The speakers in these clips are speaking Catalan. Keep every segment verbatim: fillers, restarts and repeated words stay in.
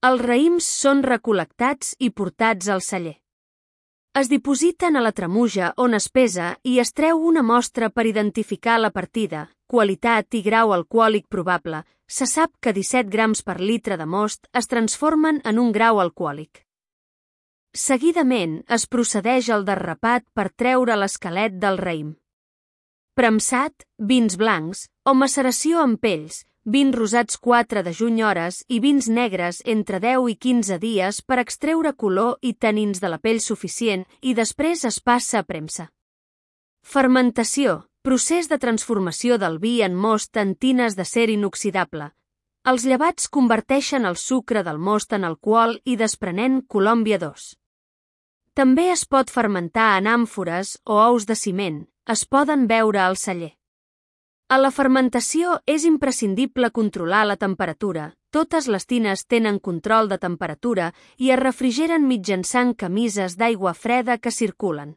Els raïms són recol·lectats i portats al celler. Es dipositen a la tremuja on es pesa i es treu una mostra per identificar la partida, qualitat i grau alcohòlic probable. Se sap que disset grams per litre de most es transformen en un grau alcohòlic. Seguidament es procedeix al derrapat per treure l'esquelet del raïm. Premsat, vins blancs, o maceració amb pells, vins rosats quatre de juny hores i vins negres entre deu i quinze dies per extreure color i tanins de la pell suficient i després es passa a premsa. Fermentació, procés de transformació del vi en most en tines d'acer inoxidable. Els llevats converteixen el sucre del most en alcohol i desprenent Colòmbia dos. També es pot fermentar en àmfores o ous de ciment, es poden beure al celler. A la fermentació és imprescindible controlar la temperatura. Totes les tines tenen control de temperatura i es refrigeren mitjançant camises d'aigua freda que circulen.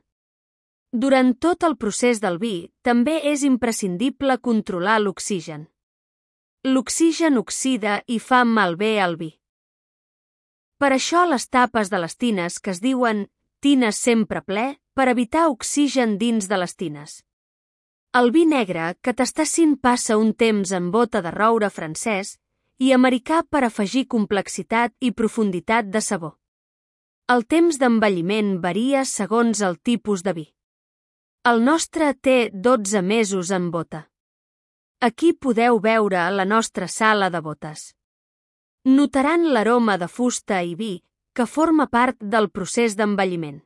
Durant tot el procés del vi, també és imprescindible controlar l'oxigen. L'oxigen oxida i fa malbé el vi. Per això les tapes de les tines que es diuen tines sempre ple per evitar oxigen dins de les tines. El vi negre que Tassin passa un temps en bota de roure francès i americà per afegir complexitat i profunditat de sabor. El temps d'envelliment varia segons el tipus de vi. El nostre té dotze mesos en bota. Aquí podeu veure la nostra sala de botes. Notaran l'aroma de fusta i vi que forma part del procés d'envelliment.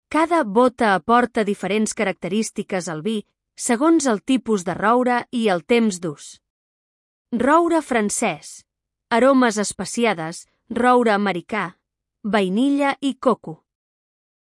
Cada bota aporta diferents característiques al vi segons el tipus de roure i el temps d'ús. Roure francès, aromes especiades, roure americà, vainilla i coco.